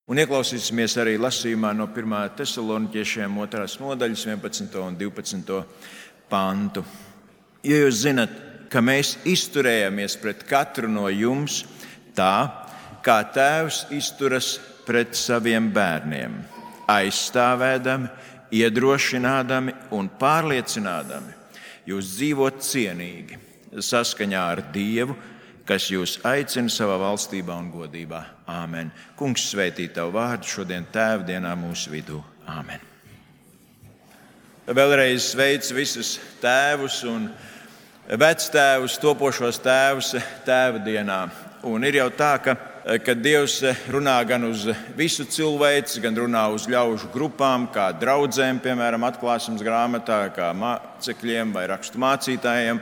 Un ieklausīsimies arī lasījumā no 1. Tesaloniķiešiem 2. nodaļas 11. un 12. pantu. Jo jūs zinat, ka mēs izturējāmies pret katru no jums tā, kā tēvs izturas pret saviem bērniem, aizstāvēdami, iedrošinādami un pārliecinādami jūs dzīvot cienīgi, saskaņā ar Dievu, kas jūs aicina savā valstībā un godībā. Āmen. Kungs svētī tavu vārdu šodien Tēvdienā mūsu vidū. Āmen. Vēlreiz sveicu visus tēvus un vectēvus, topošos tēvus Tēvdienā. Un ir jau tā, ka Dievs runā gan uz visu cilvēci, gan runā uz ļaužu grupām, kā draudzēm, piemēram, atklāsmes grāmatā, kā mācekļiem vai rakstu mācītājiem,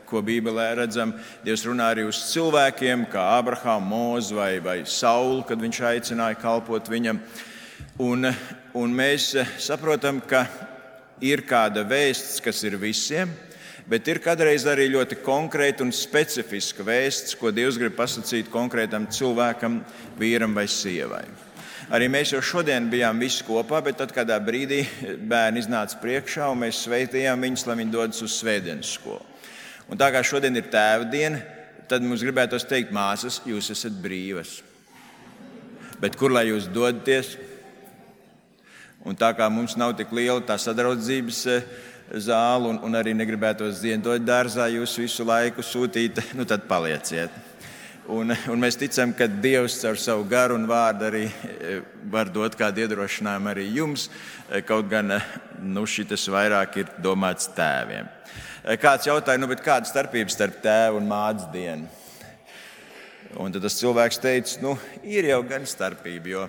ko Bībelē redzam. Dievs runā arī uz cilvēkiem, kā Ābrahāmu, Mūzu vai Saulu, kad viņš aicināja kalpot viņam. Un mēs saprotam, ka ir kāda vēsts, kas ir visiem, bet ir kādreiz arī ļoti konkrēta un specifiska vēsts, ko Dievs grib pasakīt konkrētam cilvēkam, vīram vai sievai. Arī mēs jau šodien bijām visi kopā, bet tad kādā brīdī bērni iznāca priekšā un mēs sveitījām viņus, lai viņi dodas uz svētdienas skolu. Un tā kā šodien ir Tēvdiena, tad mums gribētos teikt, māsas, jūs esat brīvas. Bet kur lai jūs dodaties? Un tā kā mums nav tik liela tā sadraudzības zāle un arī negribētos ziedot dārzā jūs visu laiku sūtīt, tad palieciet. Un mēs ticam, ka Dievs caur savu garu un vārdu arī var dot kādu iedrošinājumu arī jums, kaut gan šitas vairāk ir domāts tēviem. Kāds jautāja, bet kāda starpība starp tēvu un mātes dienu? Un tad tas cilvēks teica, ir jau gan starpība, jo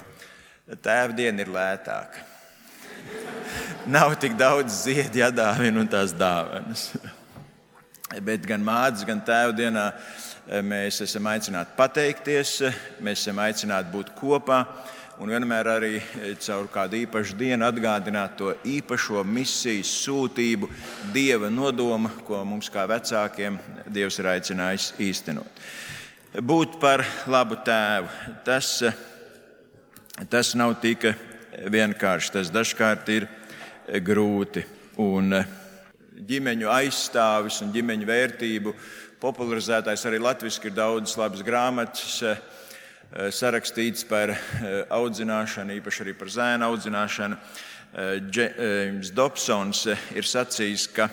tēva diena ir lētāka. Nav tik daudz ziedu jādāvina un tās dāvanas. Bet gan mātes, gan tēva dienā mēs esam aicināti pateikties, mēs esam aicināti būt kopā un vienmēr arī caur kādu īpašu dienu atgādināt to īpašo misijas sūtību, Dieva nodomu, ko mums kā vecākiem Dievs ir aicinājis īstenot. Būt par labu tēvu, tas nav tik vienkārši, tas dažkārt ir grūti. Un ģimeņu aizstāvis un ģimeņu vērtību popularizētājs arī latviski ir daudzas labas grāmatas sarakstīts par audzināšanu, īpaši arī par zēnu audzināšanu. Džeims Dobsons ir sacījis, ka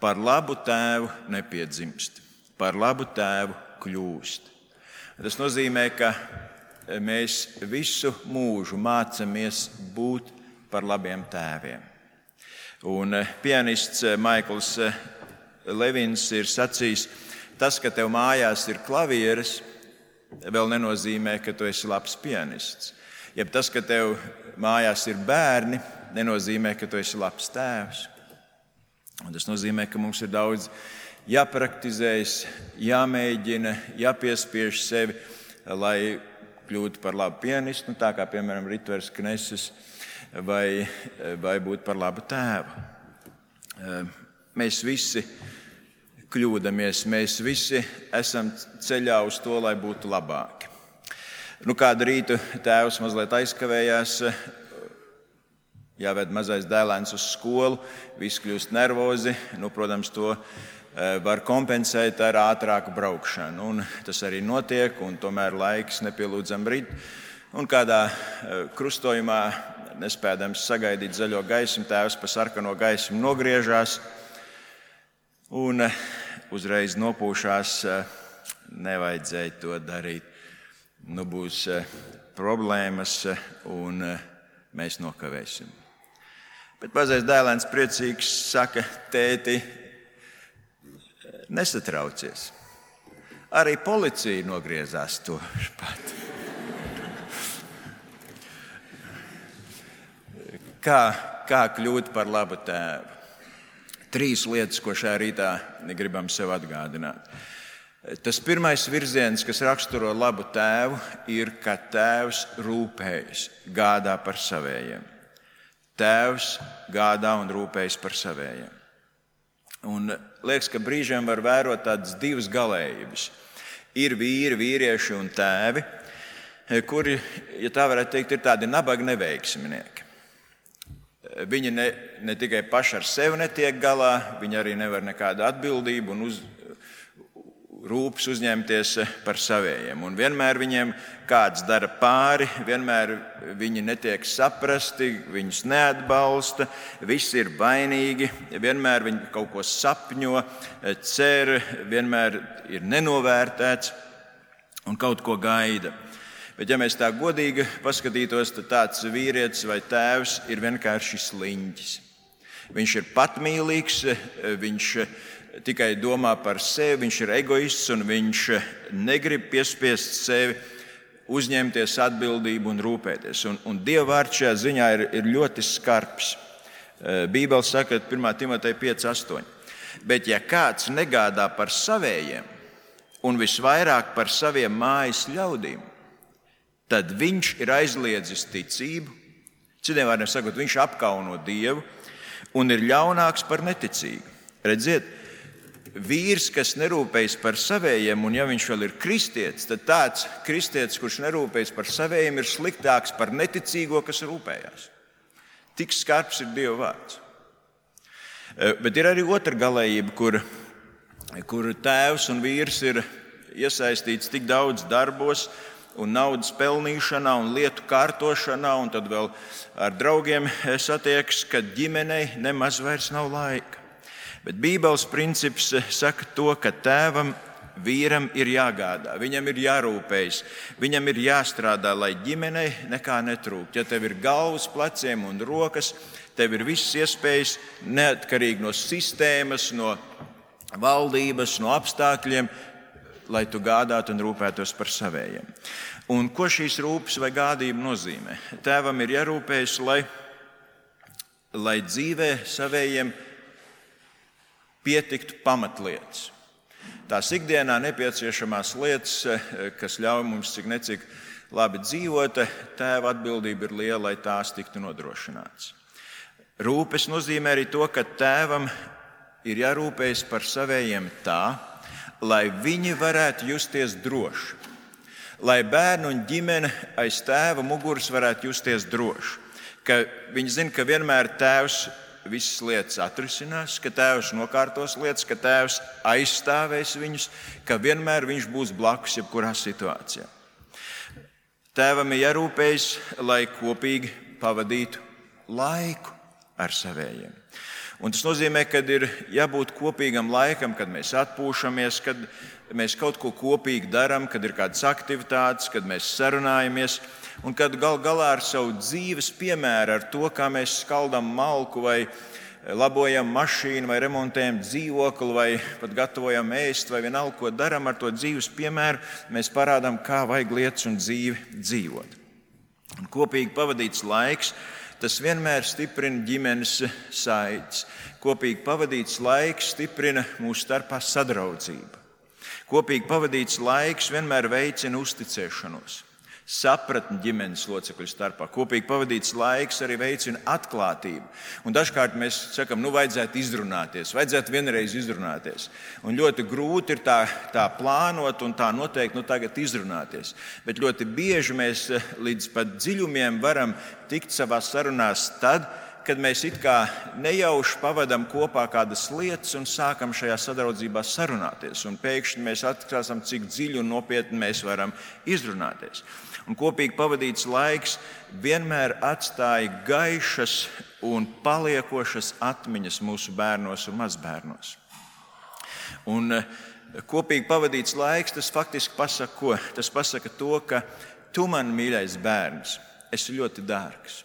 par labu tēvu nepiedzimst, par labu tēvu kļūst. Tas nozīmē, ka mēs visu mūžu mācamies būt par labiem tēviem. Un pianists Maikls Levins ir sacījis, tas, ka tev mājās ir klavieres, vēl nenozīmē, ka tu esi labs pianists. Jeb tas, ka tev mājās ir bērni, nenozīmē, ka tu esi labs tēvs. Un tas nozīmē, ka mums ir daudz jāpraktizējas, jāmēģina, jāpiespiež sevi, lai kļūtu par labu pianistu, tā kā, piemēram, Ritvers Kneses, vai būt par labu tēvu. Mēs visi kļūdamies, mēs visi esam ceļā uz to, lai būtu labāki. Kādu rītu tēvs mazliet aizkavējās, jāved mazais dēlēns uz skolu, visi kļūst nervozi, protams, to var kompensēt ar ātrāku braukšanu. Un tas arī notiek, un tomēr laiks nepielūdzam rit. Un kādā krustojumā, nespēdams sagaidīt zaļo gaismu, tēvs pa sarkano gaismu nogriežās un uzreiz nopūšās, nevajadzēja to darīt. Būs problēmas un mēs nokavēsim. Bet mazais dēlēns priecīgs saka, tēti, nesatraucies. Arī policija nogriezās to pat. Kā kļūt par labu tēvu? 3 lietas, ko šajā rītā gribam sev atgādināt. Tas pirmais virziens, kas raksturo labu tēvu, ir, ka tēvs rūpējas, gādā par savējiem. Tēvs gādā un rūpējas par savējiem. Un liekas, ka brīžiem var vērot tādas 2 galējības. Ir vīri, vīrieši un tēvi, kuri, ja tā varētu teikt, ir tādi nabaga neveiksminieki. Viņi ne tikai paši ar sevi netiek galā, viņi arī nevar nekādu atbildību un rūpes uzņemties par savējiem. Un vienmēr viņiem kāds dara pāri, vienmēr viņi netiek saprasti, viņus neatbalsta, visi ir vainīgi, vienmēr viņi kaut ko sapņo, cer, vienmēr ir nenovērtēts un kaut ko gaida. Bet, ja mēs tā godīgi paskatītos, tad tāds vīrietis vai tēvs ir vienkārši sliņķis. Viņš ir patmīlīgs, viņš tikai domā par sevi, viņš ir egoists un viņš negrib piespiest sevi uzņemties atbildību un rūpēties. Un Dieva vārds šajā ziņā ir ļoti skarbs. Bībele saka 1. Timoteja 5:8. Bet ja kāds negādā par savējiem un visvairāk par saviem mājas ļaudīm, tad viņš ir aizliedzis ticību, citiem vārdiem sakot, viņš apkauno Dievu un ir ļaunāks par neticīgu. Redziet, vīrs, kas nerūpējas par savējiem, un ja viņš vēl ir kristietis, tad tāds kristietis, kurš nerūpējas par savējiem, ir sliktāks par neticīgo, kas rūpējās. Tik skarbs ir Dieva vārds. Bet ir arī otra galējība, kur tēvs un vīrs ir iesaistīts tik daudz darbos un naudas pelnīšanā un lietu kārtošanā, un tad vēl ar draugiem satiekas, ka ģimenei nemaz vairs nav laika. Bet Bībeles princips saka to, ka tēvam, vīram ir jāgādā, viņam ir jārūpējas, viņam ir jāstrādā, lai ģimenei nekā netrūkt. Ja tev ir galvas, pleciem un rokas, tev ir visas iespējas neatkarīgi no sistēmas, no valdības, no apstākļiem, lai tu gādātu un rūpētos par savējiem. Un ko šīs rūpes vai gādība nozīmē? Tēvam ir jārūpējas, lai dzīvē savējiem pietiktu pamatlietas. Tās ikdienā nepieciešamās lietas, kas ļauj mums cik necik labi dzīvot, tēva atbildība ir liela, lai tās tiktu nodrošināts. Rūpes nozīmē arī to, ka tēvam ir jārūpējas par savējiem tā, lai viņi varētu justies droši, lai bērni un ģimene aiz tēva muguras varētu justies droši, ka viņi zina, ka vienmēr tēvs visas lietas atrisinās, ka tēvs nokārtos lietas, ka tēvs aizstāvēs viņus, ka vienmēr viņš būs blakus jebkurā situācijā. Tēvam ir jārūpējas, lai kopīgi pavadītu laiku ar savējiem. Un tas nozīmē, ka ir jābūt kopīgam laikam, kad mēs atpūšamies, kad mēs kaut ko kopīgi darām, kad ir kādas aktivitātes, kad mēs sarunājamies, un kad gal galā ar savu dzīves piemēru, ar to, kā mēs skaldam malku vai labojam mašīnu vai remontējam dzīvokli vai pat gatavojam ēst vai vienalga, ko darām ar to dzīves piemēru, mēs parādām, kā vajag lietas un dzīvi dzīvot. Un kopīgi pavadīts laiks, tas vienmēr stiprina ģimenes saites. Kopīgi pavadīts laiks stiprina mūsu starpā sadraudzību. Kopīgi pavadīts laiks vienmēr veicina uzticēšanos, sapratni ģimenes locekļu starpā. Kopīgi pavadīts laiks arī veicina atklātību. Un dažkārt mēs sakam, vajadzētu izrunāties, vajadzētu vienreiz izrunāties. Un ļoti grūti ir tā plānot un tā noteikti tagad izrunāties. Bet ļoti bieži mēs līdz pat dziļumiem varam tikt savās sarunās tad, kad mēs it kā nejauši pavadām kopā kādas lietas un sākam šajā sadraudzībā sarunāties. Un pēkšņi mēs atklāsim, cik dziļi un nopietni mēs varam izrunāties. Un kopīgi pavadīts laiks vienmēr atstāja gaišas un paliekošas atmiņas mūsu bērnos un mazbērnos. Un kopīgi pavadīts laiks, tas faktiski pasaka ko? Tas pasaka to, ka tu, man mīļais bērns, esi ļoti dārgs.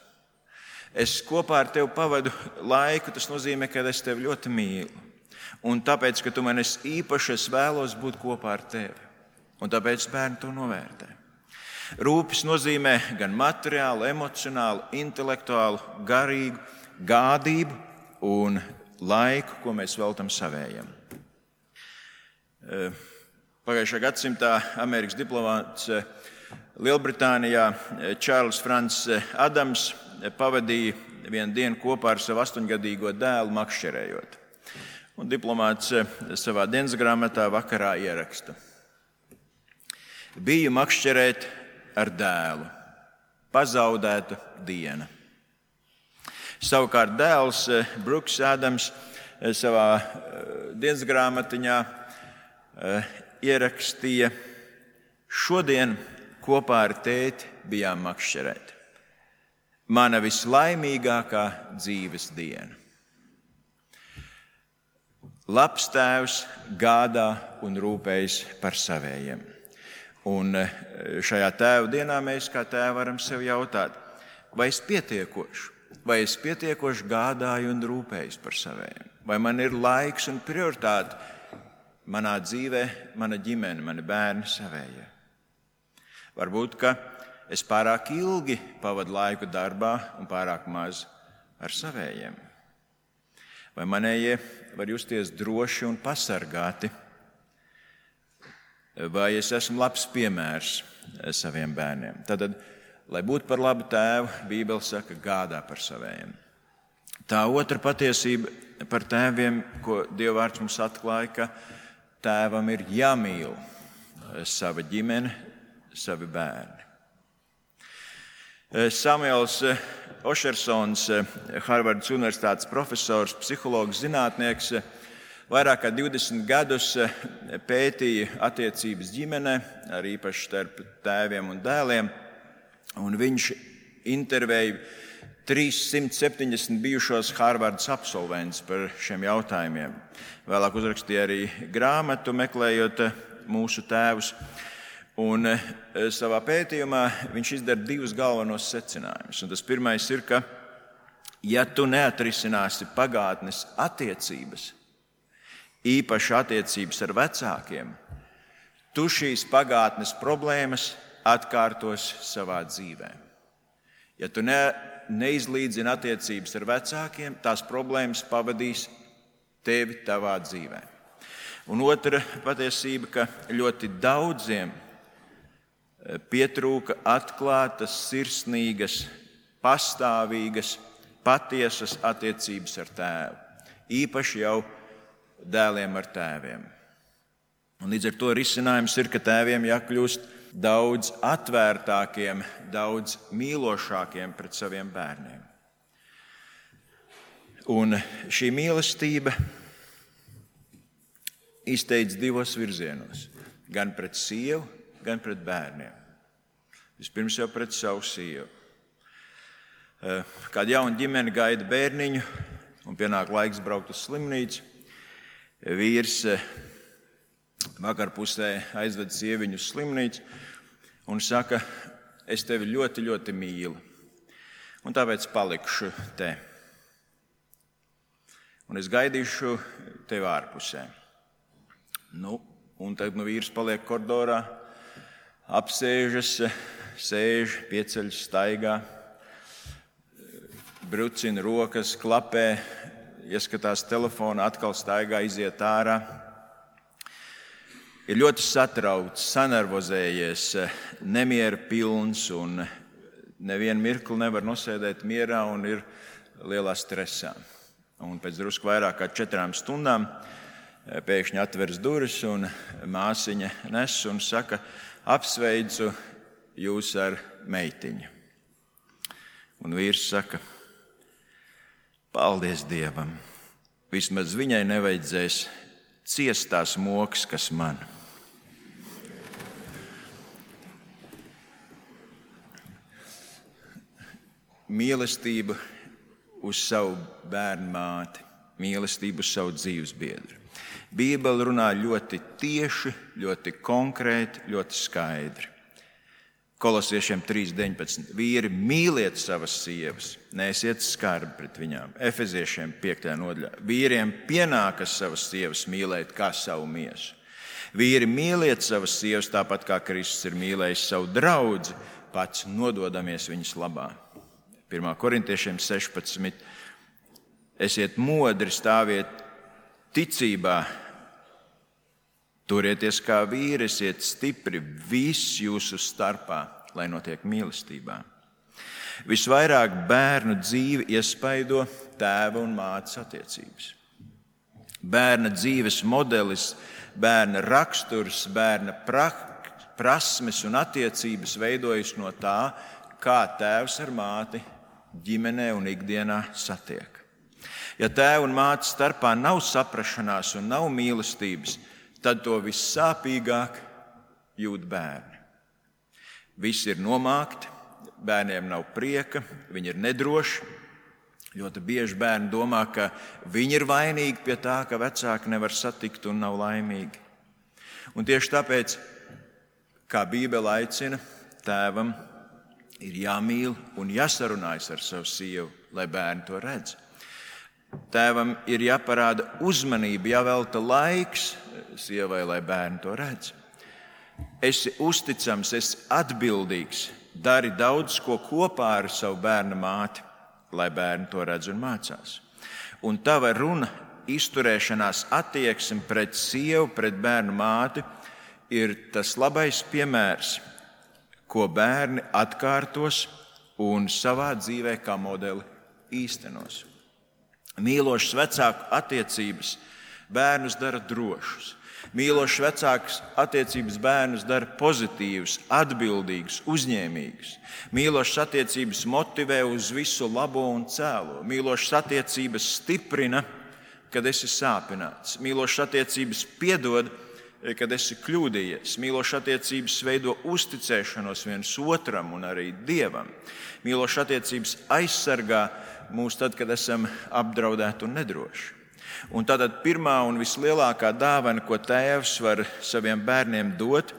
Es kopā ar tevi pavadu laiku, tas nozīmē, ka es tevi ļoti mīlu. Un tāpēc, ka tu man esi īpaši, es vēlos būt kopā ar tevi. Un tāpēc bērni to novērtē. Rūpes nozīmē gan materiālu, emocionālu, intelektuālu, garīgu gādību un laiku, ko mēs veltam savējiem. Pagājušā gadsimtā Amerikas diplomāts Lielbritānijā Čārlis Frants Adams pavadīja vienu dienu kopā ar savu 8-gadīgo dēlu makšķerējot. Un diplomāts savā dienas grāmatā vakarā ieraksta: Biju makšķerēt ar dēlu. Pazaudēta diena. Savukārt dēls Brooks Adams savā dienas grāmatiņā ierakstīja: šodien kopā ar tēti bijām makšķerēt. Mana vislaimīgākā dzīves diena. Labs tēvs gādā un rūpējas par savējiem. Un šajā tēva dienā mēs kā tēvi varam sev jautāt, vai es pietiekoši gādāju un rūpējos par savējiem? Vai man ir laiks un prioritāte manā dzīvē, mana ģimene, mani bērni, savējie? Varbūt, ka es pārāk ilgi pavadu laiku darbā un pārāk maz ar savējiem. Vai manējie var justies droši un pasargāti? Vai es esmu labs piemērs saviem bērniem? Tātad, lai būtu par labu tēvu, Bībele saka, gādā par savējiem. Tā otra patiesība par tēviem, ko Dieva vārds mums atklāja, ka tēvam ir jāmīl sava ģimene, savi bērni. Samuels Ošersons, Harvardas Universitātes profesors, psihologs, zinātnieks, vairāk kā 20 gadus pētīja attiecības ģimenē, arī īpaši starp tēviem un dēliem, un viņš intervēja 370 bijušos Harvardas absolventus par šiem jautājumiem. Vēlāk uzrakstīja arī grāmatu, meklējot mūsu tēvus. Un savā pētījumā viņš izdara 2 galvenos secinājumus. Un tas pirmais ir, ka ja tu neatrisināsi pagātnes attiecības, īpaši attiecības ar vecākiem, tu šīs pagātnes problēmas atkārtos savā dzīvē. Ja tu neizlīdzini attiecības ar vecākiem, tās problēmas pavadīs tevi tavā dzīvē. Un otra patiesība, ka ļoti daudziem pietrūka atklātas, sirsnīgas, pastāvīgas, patiesas attiecības ar tēvu. Īpaši jau dēliem ar tēviem. Un līdz ar to risinājums ir, ka tēviem jākļūst daudz atvērtākiem, daudz mīlošākiem pret saviem bērniem. Un šī mīlestība izteic 2 virzienos. Gan pret sievu, gan pret bērniem. Vispirms jau pret savu sievu. Kāda jauna ģimene gaida bērniņu un pienāk laiks braukt uz slimnīcu, vīrs vakarpusē aizved sieviņu uz slimnīcu un saka, es tevi ļoti, ļoti mīlu, un tāpēc palikšu te. Un es gaidīšu tevi ārpusē. Un tad vīrs paliek koridorā, apsēžas, sēž, pieceļas, staigā, brucina rokas, klapē, ieskatās telefonā, atkal staigā, iziet ārā. Ir ļoti satraukts, sanervozējies, nemiera pilns un nevienu mirkli nevar nosēdēt mierā un ir lielā stresā. Un pēc drusku vairāk kā 4 stundām pēkšņi atveras durvis un māsiņa nes un saka, apsveicu jūs ar meitiņu. Un vīrs saka, paldies Dievam, vismaz viņai nevajadzēs ciest tās mokas, kas man. Mīlestība uz savu bērnu māti, mīlestība uz savu dzīves biedru. Bībele runā ļoti tieši, ļoti konkrēti, ļoti skaidri. Kolosiešiem 3.19. Vīri, mīliet savas sievas, neesiet skarbi pret viņām. Efeziešiem 5. nodaļā. Vīriem pienākas savas sievas mīlēt kā savu miesu. Vīri, mīliet savas sievas tāpat kā Kristus ir mīlējis savu draudzi, pats nododamies viņas labā. 1. Korintiešiem 16. Esiet modri, stāviet ticībā, turieties kā vīri, esiet stipri viss jūsu starpā, lai notiek mīlestībā. Visvairāk bērnu dzīvi iespaido tēva un mātes attiecības. Bērna dzīves modelis, bērna raksturs, bērna prasmes un attiecības veidojas no tā, kā tēvs ar māti ģimenē un ikdienā satiek. Ja tēva un mātes starpā nav saprašanās un nav mīlestības, tad to vissāpīgāk jūt bērni. Visi ir nomākti, bērniem nav prieka, viņi ir nedroši. Ļoti bieži bērni domā, ka viņi ir vainīgi pie tā, ka vecāki nevar satikt un nav laimīgi. Un tieši tāpēc, kā Bībele aicina, tēvam ir jāmīl un jāsarunājas ar savu sievu, lai bērni to redz. Tēvam ir jāparāda uzmanība, jāvelta laiks sievai, lai bērni to redz. Esi uzticams, esi atbildīgs, dari daudz ko kopā ar savu bērna māti, lai bērni to redz un mācās. Un tava runa, izturēšanās attieksme pret sievu, pret bērnu māti ir tas labais piemērs, ko bērni atkārtos un savā dzīvē kā modeli īstenos. Mīlošas vecāku attiecības bērnus dara drošus. Mīlošas vecāku attiecības bērnus dara pozitīvus, atbildīgus, uzņēmīgus. Mīlošas attiecības motivē uz visu labo un cēlo. Mīlošas attiecības stiprina, kad esi sāpināts. Mīlošas attiecības piedod, kad esi kļūdījies. Mīlošas attiecības veido uzticēšanos viens otram un arī Dievam. Mīlošas attiecības aizsargā mūs tad, kad esam apdraudēti un nedroši. Un tātad pirmā un vislielākā dāvana, ko tēvs var saviem bērniem dot,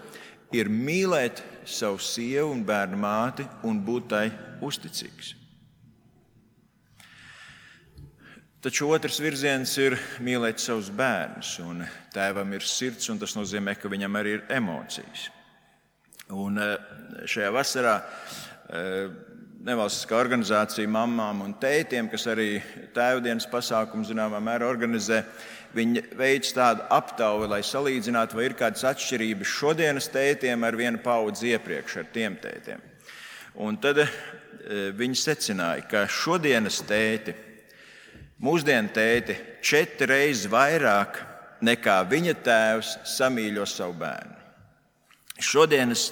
ir mīlēt savu sievu un bērnu māti un būt tai uzticīgs. Taču otrs virziens ir mīlēt savus bērnus. Un tēvam ir sirds, un tas nozīmē, ka viņam arī ir emocijas. Un šajā vasarā nevalstiskā organizācija mammām un tētiem, kas arī tēvdienas pasākumu zināmā mērā organizē, viņi veic tādu aptauju, lai salīdzinātu, vai ir kādas atšķirības šodienas tētiem ar vienu paudzi iepriekš, ar tiem tētiem. Un tad viņi secināja, ka šodienas tēti, mūsdienu tēti 4 reizes vairāk nekā viņa tēvs samīļo savu bērnu. Šodienas,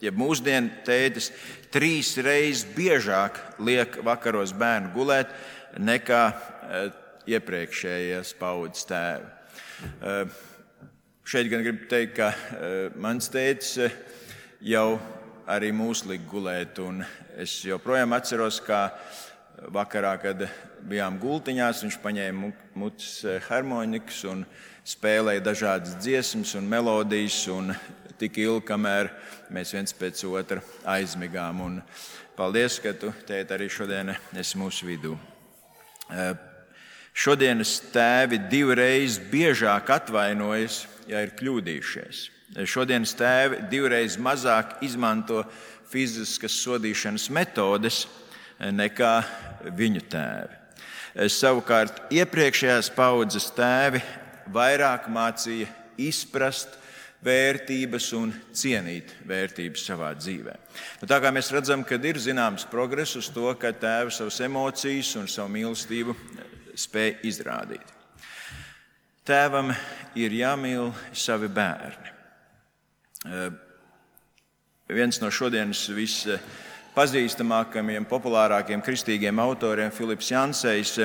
ja mūsdienu tētis 3 reizes biežāk liek vakaros bērnu gulēt nekā iepriekšējās paudzes tēvi. Šeit gan gribu teikt, ka mans tētis jau arī mūs lika gulēt, un es joprojām atceros, kā vakarā, kad bijām gultiņās, viņš paņēma mutes harmonikas un spēlēja dažādas dziesmas un melodijas, un tik ilgi, kamēr mēs viens pēc otra aizmigām. Un paldies, ka tu, tēt, arī šodien esi mūsu vidū. Šodienas tēvi 2 reizes biežāk atvainojas, ja ir kļūdījušies. Šodienas tēvi 2 reizes mazāk izmanto fiziskas sodīšanas metodes nekā viņu tēvi. Savukārt iepriekšējās paudzes tēvi vairāk mācīja izprast vērtības un cienīt vērtības savā dzīvē. Tā kā mēs redzam, ka ir zināms progress uz to, ka tēvi savas emocijas un savu mīlestību spēj izrādīt. Tēvam ir jāmīl savi bērni. Viens no šodienas vispazīstamākajiem, populārākiem kristīgiem autoriem, Filips Jansejs,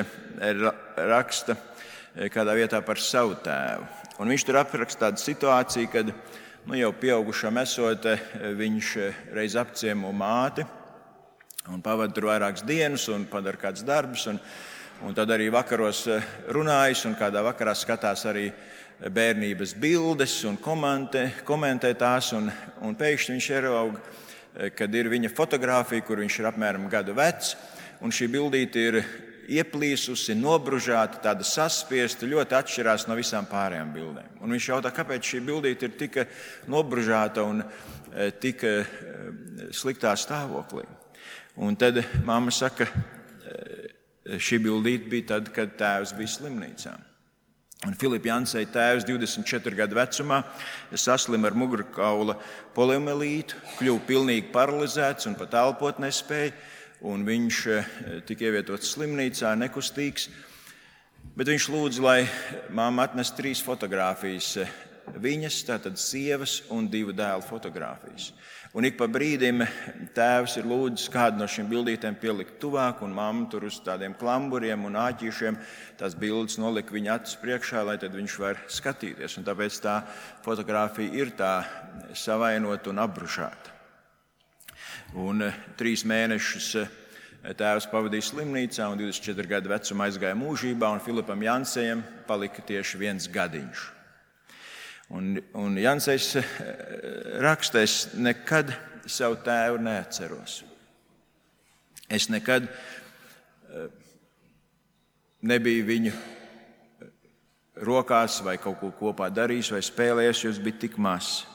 raksta kādā vietā par savu tēvu. Un viņš tur apraksta tādu situāciju, kad jau pieaugušam esot, viņš reiz apciemo māti un pavada tur vairākas dienas un padara kāds darbus. Un tad arī vakaros runājas un kādā vakarā skatās arī bērnības bildes un komentē tās. Un pēkšņi viņš ieraug, kad ir viņa fotografija, kur viņš ir apmēram gadu vecs. Un šī bildīte ir ieplīsusi, nobružāta, tāda saspiesta, ļoti atšķirās no visām pārējām bildēm. Un viņš jautā, kāpēc šī bildīte ir tik nobružāta un tik sliktā stāvoklī. Un tad mamma saka, šī bildīte bija tad, kad tēvs bija slimnīcā. Un Filipa Janseja tēvs 24 gadu vecumā saslima ar mugurkaula poliomielītu, kļuva pilnīgi paralizēts un pat elpot nespēja. Un viņš tika ievietots slimnīcā, nekustīgs. Bet viņš lūdza, lai mamma atnes 3 fotogrāfijas viņas, tātad sievas un 2 dēlu fotogrāfijas. Un ik pa brīdim tēvs ir lūdzis kādu no šīm bildītēm pielikt tuvāk, un mamma tur uz tādiem klamburiem un āķīšiem tās bildes nolika viņa acis priekšā, lai tad viņš var skatīties. Un tāpēc tā fotogrāfija ir tā savainota un apbrušāta. Un 3 mēnešus tēvs pavadīja slimnīcā un 24 gadu vecumā aizgāja mūžībā, un Filipam Jansejam palika tieši 1 gadiņš. Un Jansejs raksta, es nekad savu tēvu neatceros. Es nekad nebiju viņu rokās vai kaut ko kopā darījis vai spēlējis, jo es biju tik mazs.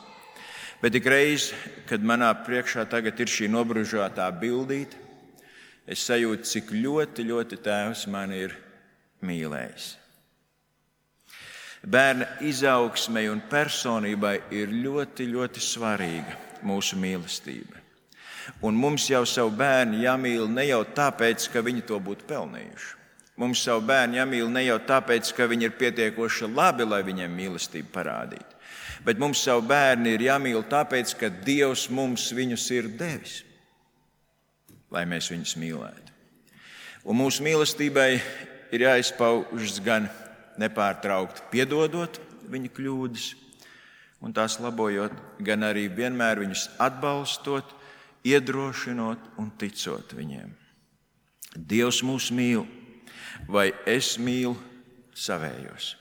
Bet ik reiz, kad manā priekšā tagad ir šī nobružātā bildīte, es sajūtu, cik ļoti, ļoti tēvs mani ir mīlējis. Bērna izaugsmei un personībai ir ļoti, ļoti svarīga mūsu mīlestība. Un mums jau savu bērnu jāmīl ne jau tāpēc, ka viņi to būtu pelnījuši. Mums savu bērnu jāmīl ne jau tāpēc, ka viņi ir pietiekoši labi, lai viņiem mīlestību parādītu. Bet mums savu bērnu ir jāmīl tāpēc, ka Dievs mums viņus ir devis, lai mēs viņus mīlētu. Un mūsu mīlestībai ir jāizpaužas gan nepārtraukti piedodot viņa kļūdas un tās labojot, gan arī vienmēr viņus atbalstot, iedrošinot un ticot viņiem. Dievs mūs mīl, vai es mīlu savējos?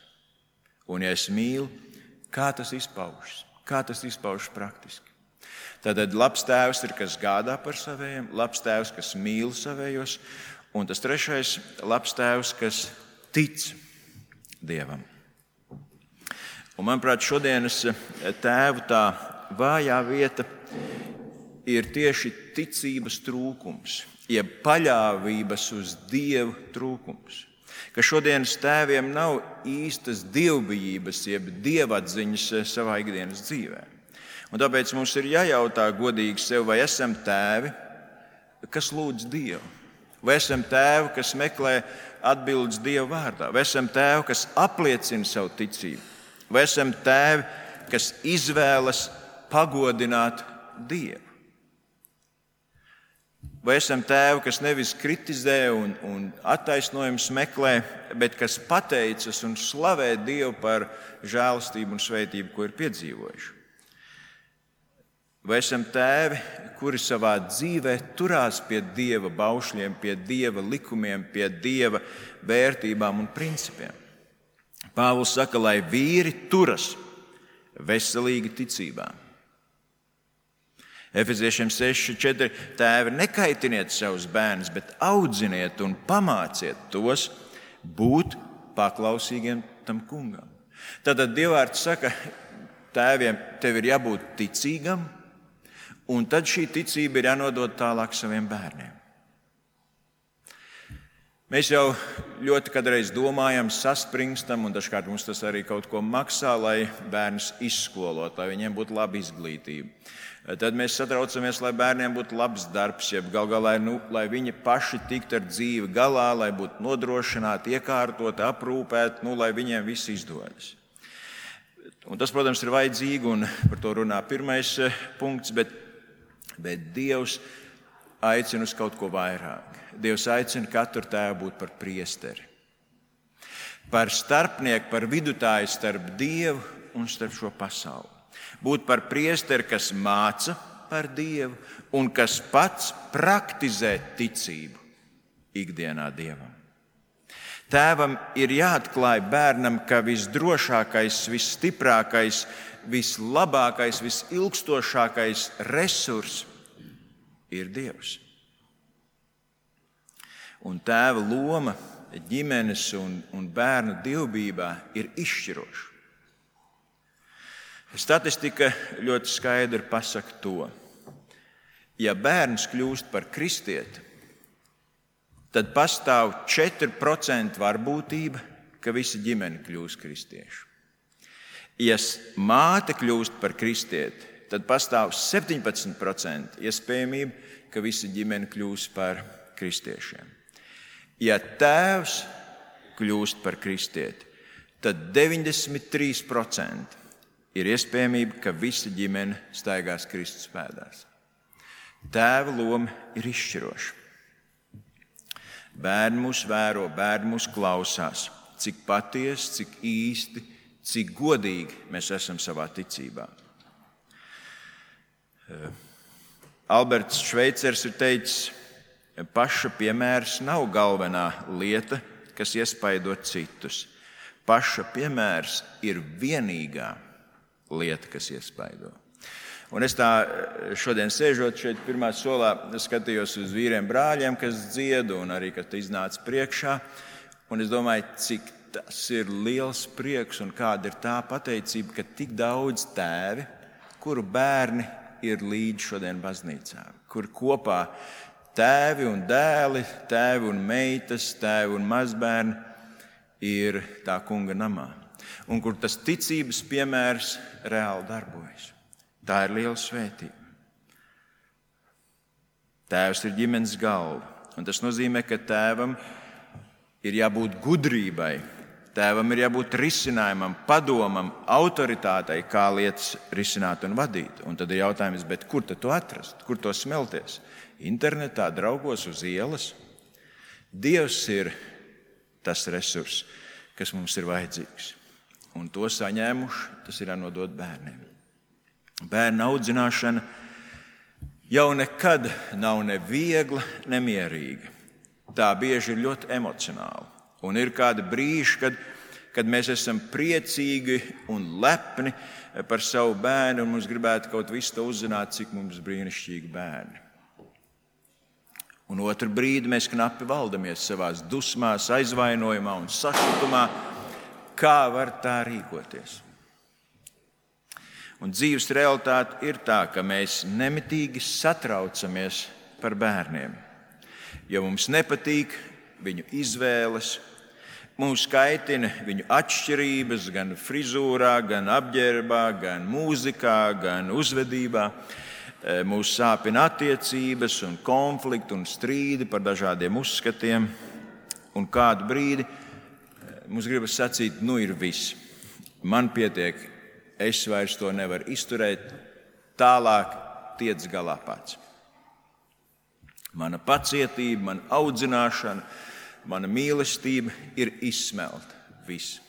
Un ja es mīlu, kā tas izpaužas? Kā tas izpaužas praktiski? Tātad labs tēvs ir, kas gādā par savējiem, labs tēvs, kas mīl savējos, un tas 3. labs tēvs, kas tic Dievam. Un, manuprāt, šodienas tēvu tā vājā vieta ir tieši ticības trūkums, jeb paļāvības uz Dievu trūkums. Ka šodienas tēviem nav īstas dievbijības, jeb dievatziņas savā ikdienas dzīvē. Un tāpēc mums ir jājautā godīgi sev, vai esam tēvi, kas lūdz Dievu? Vai esam tēvi, kas meklē atbildes Dieva vārdā? Vai esam tēvi, kas apliecina savu ticību? Vai esam tēvi, kas izvēlas pagodināt Dievu? Vai esam tēvi, kas nevis kritizē un attaisnojumus meklē, bet kas pateicas un slavē Dievu par žēlastību un svētību, ko ir piedzīvojuši? Vai esam tēvi, kuri savā dzīvē turās pie Dieva baušļiem, pie Dieva likumiem, pie Dieva vērtībām un principiem? Pāvils saka, lai vīri turas veselīgi ticībā. Efeziešiem 6:4 tēvi, nekaitiniet savus bērnus, bet audziniet un pamāciet tos būt paklausīgiem tam kungam. Tātad Dievvvārds saka tēviem, tev ir jābūt ticīgam, un tad šī ticība ir jānodod tālāk saviem bērniem. Mēs jau ļoti kādreiz domājam, saspringstam, un dažkārt mums tas arī kaut ko maksā, lai bērnus izskolot, lai viņiem būtu laba izglītība. Tad mēs satraucamies, lai bērniem būtu labs darbs, jeb gal galā, lai viņi paši tiktu ar dzīvi galā, lai būtu nodrošināti, iekārtoti, aprūpēti, lai viņiem viss izdodas. Un tas, protams, ir vajadzīgi, un par to runā 1. punkts, bet Dievs aicina uz kaut ko vairāk. Dievs aicina katru tēvu būt par priesteri, par starpnieku, par vidutāju starp Dievu un starp šo pasauli. Būt par priesteri, kas māca par Dievu un kas pats praktizē ticību ikdienā Dievam. Tēvam ir jāatklāj bērnam, ka visdrošākais, visstiprākais, vislabākais, visilgstošākais resurs ir Dievs. Un tēva loma ģimenes un bērnu dievbijībā ir izšķiroša. Statistika ļoti skaidri pasaka to. Ja bērns kļūst par kristieti, tad pastāv 4% varbūtība, ka visa ģimene kļūs kristieši. Ja māte kļūst par kristieti, tad pastāv 17% iespējamība, ka visa ģimene kļūs par kristiešiem. Ja tēvs kļūst par kristieti, tad 93% ir iespējamība, ka visa ģimene staigās Kristus pēdās. Tēva loma ir izšķiroša. Bērni mūs vēro, bērni mūs klausās, cik patiesi, cik īsti, cik godīgi mēs esam savā ticībā. Alberts Šveicers ir teicis, paša piemērs nav galvenā lieta, kas iespaido citus. Paša piemērs ir vienīgā lieta, kas iespaido. Un es tā šodien sēžot šeit pirmā solā, skatījos uz vīriem brāļiem, kas dzied un arī, kas iznāca priekšā. Un es domāju, cik tas ir liels prieks un kāda ir tā pateicība, ka tik daudz tēvi, kuru bērni ir līdz šodien baznīcā, kur kopā tēvi un dēli, tēvi un meitas, tēvi un mazbērni ir tā kunga namā. Un kur tas ticības piemērs reāli darbojas. Tā ir liela svētība. Tēvs ir ģimenes galva, un tas nozīmē, ka tēvam ir jābūt gudrībai, tēvam ir jābūt risinājumam, padomam, autoritātei, kā lietas risināt un vadīt. Un tad ir jautājums, bet kur tad to atrast, kur to smelties? Internetā, draugos, uz ielas? Dievs ir tas resurs, kas mums ir vajadzīgs. Un to saņēmuši, tas ir jānodod bērniem. Bērna audzināšana jau nekad nav ne viegla, ne mierīga. Tā bieži ir ļoti emocionāla. Un ir kādi brīži, kad mēs esam priecīgi un lepni par savu bērnu, un mums gribētu kaut visu to uzzināt, cik mums brīnišķīgi bērni. Un otru brīdi mēs knapi valdamies savās dusmās, aizvainojumā un sašutumā, kā var tā rīkoties. Un dzīves realitāte ir tā, ka mēs nemitīgi satraucamies par bērniem, jo mums nepatīk viņu izvēles, mūs kaitina viņu atšķirības gan frizūrā, gan apģērbā, gan mūzikā, gan uzvedībā. Mūs sāpina attiecības un konflikti un strīdi par dažādiem uzskatiem. Un kādu brīdi mums gribas sacīt, nu ir viss, man pietiek. Es vairs to nevaru izturēt, tālāk tiec galā pats. Mana pacietība, mana audzināšana, mana mīlestība ir izsmelta. Viss.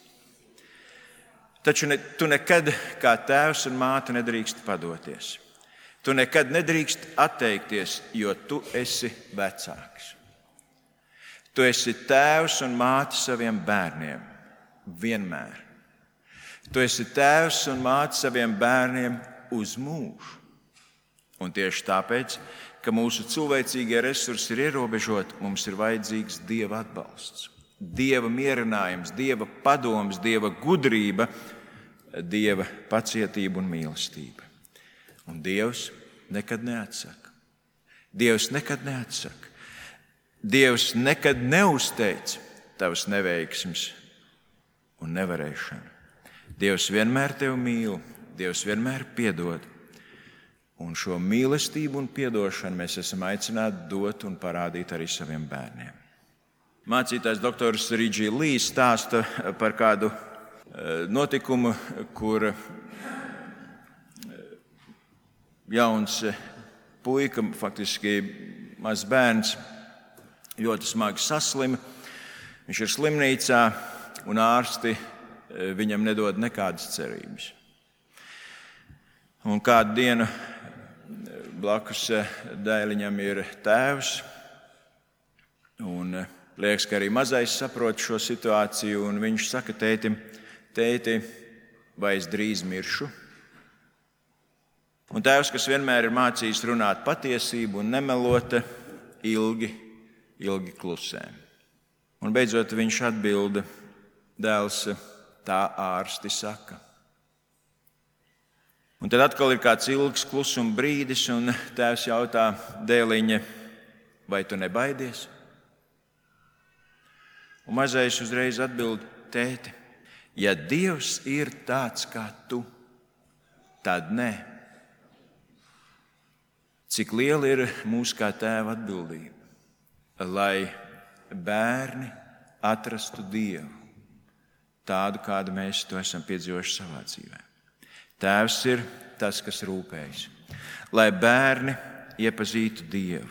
Taču tu nekad kā tēvs un māte nedrīkst padoties. Tu nekad nedrīkst atteikties, jo tu esi vecāks. Tu esi tēvs un māte saviem bērniem. Vienmēr. Tu esi tēvs un māte saviem bērniem uz mūžu. Un tieši tāpēc, ka mūsu cilvēcīgie resursi ir ierobežoti, mums ir vajadzīgs Dieva atbalsts, Dieva mierinājums, Dieva padoms, Dieva gudrība, Dieva pacietība un mīlestība. Un Dievs nekad neatsaka. Dievs nekad neatsaka. Dievs nekad neuzteic tavas neveiksmes un nevarēšanu. Dievs vienmēr tevi mīl, Dievs vienmēr piedod. Un šo mīlestību un piedošanu mēs esam aicināti dot un parādīt arī saviem bērniem. Mācītājs doktors Ridžī Lī stāsta par kādu notikumu, kur jauns puika, faktiski mazs bērns, ļoti smagi saslima. Viņš ir slimnīcā un ārsti viņam nedod nekādas cerības. Un kādu dienu blakus dēliņam ir tēvs, un liekas, ka arī mazais saprot šo situāciju, un viņš saka tētim, tēti, vai es drīz miršu? Un tēvs, kas vienmēr ir mācījis runāt patiesību un nemelot, ilgi klusē. Un beidzot viņš atbilda, dēls, tā ārsti saka. Un tad atkal ir kāds ilgs klusuma brīdis, un tēvs jautā dēliņa, vai tu nebaidies? Un mazais uzreiz atbild, tēti, ja Dievs ir tāds kā tu, tad nē. Cik liela ir mūsu kā tēva atbildība, lai bērni atrastu Dievu, tādu, kādu mēs to esam piedzīvojuši savā dzīvē. Tēvs ir tas, kas rūpējas, lai bērni iepazītu Dievu,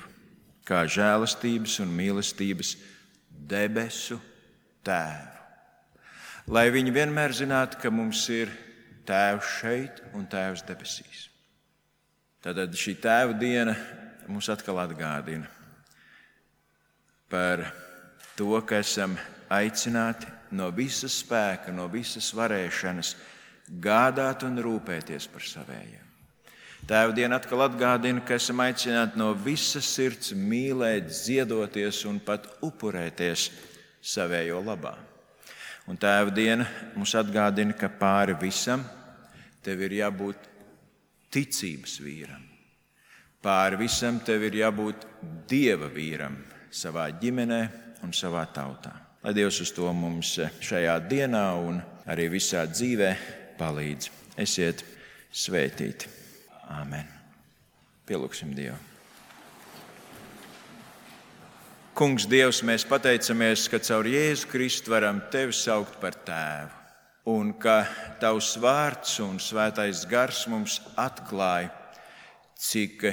kā žēlastības un mīlestības debesu Tēvu. Lai viņi vienmēr zinātu, ka mums ir Tēvs šeit un Tēvs debesīs. Tad šī Tēva diena mums atkal atgādina par to, ka esam aicināti no visas spēka, no visas varēšanas gādāt un rūpēties par savējiem. Tēva diena atkal atgādina, ka esam aicināti no visas sirds mīlēt, ziedoties un pat upurēties savējo labā. Un Tēva diena mums atgādina, ka pāri visam tev ir jābūt ticības vīram. Pāri visam tev ir jābūt Dieva vīram savā ģimenē un savā tautā. Lai Dievs uz to mums šajā dienā un arī visā dzīvē palīdz. Esiet svētīti. Āmen. Pielūgsim Dievu. Kungs, Dievs, mēs pateicamies, ka caur Jēzu Kristu varam Tevi saukt par Tēvu, un ka Tavs vārds un svētais gars mums atklāja, cik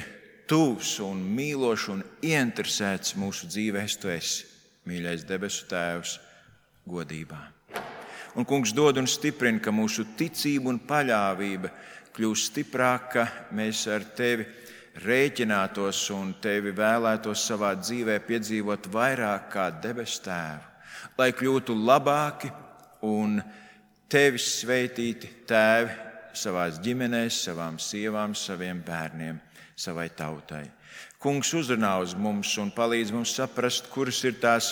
tuvs un mīlošs un ieinteresēts mūsu dzīvēs Tu esi, mīļais debesu Tēvs, godībā. Un, Kungs, dod un stiprina, ka mūsu ticība un paļāvība kļūst stiprāka, mēs ar Tevi rēķinātos un Tevi vēlētos savā dzīvē piedzīvot vairāk kā debesu Tēvu, lai kļūtu labāki un Tevis svētīti tēvi savās ģimenēs, savām sievām, saviem bērniem, savai tautai. Kungs, uzrunā uz mums un palīdz mums saprast, kuras ir tās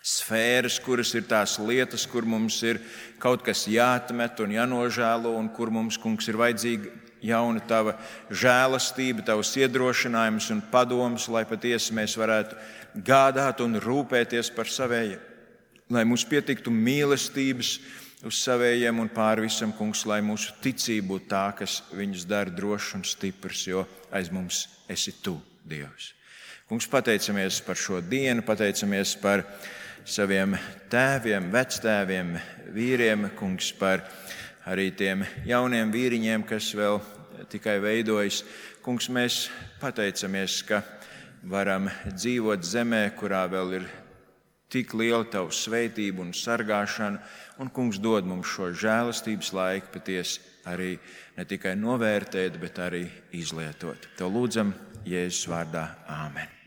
sfēras, kuras ir tās lietas, kur mums ir kaut kas jāatmet un jānožēlo, un kur mums, Kungs, ir vajadzīga jauna Tava žēlastība, Tavs iedrošinājums un padoms, lai patiesi mēs varētu gādāt un rūpēties par savējiem, lai mums pietiktu mīlestības uz savējiem un pāri visam, Kungs, lai mūsu ticība būtu tā, kas viņus dara drošs un stiprs, jo aiz mums esi Tu, Dievs. Kungs, pateicamies par šo dienu, pateicamies par saviem tēviem, vectēviem, vīriem, Kungs, par arī tiem jauniem vīriņiem, kas vēl tikai veidojas. Kungs, mēs pateicamies, ka varam dzīvot zemē, kurā vēl ir tik liela Tavu svētību un sargāšana, un, Kungs, dod mums šo žēlastības laiku patiesi arī ne tikai novērtēt, bet arī izlietot. Tev lūdzam Jēzus vārdā. Āmen.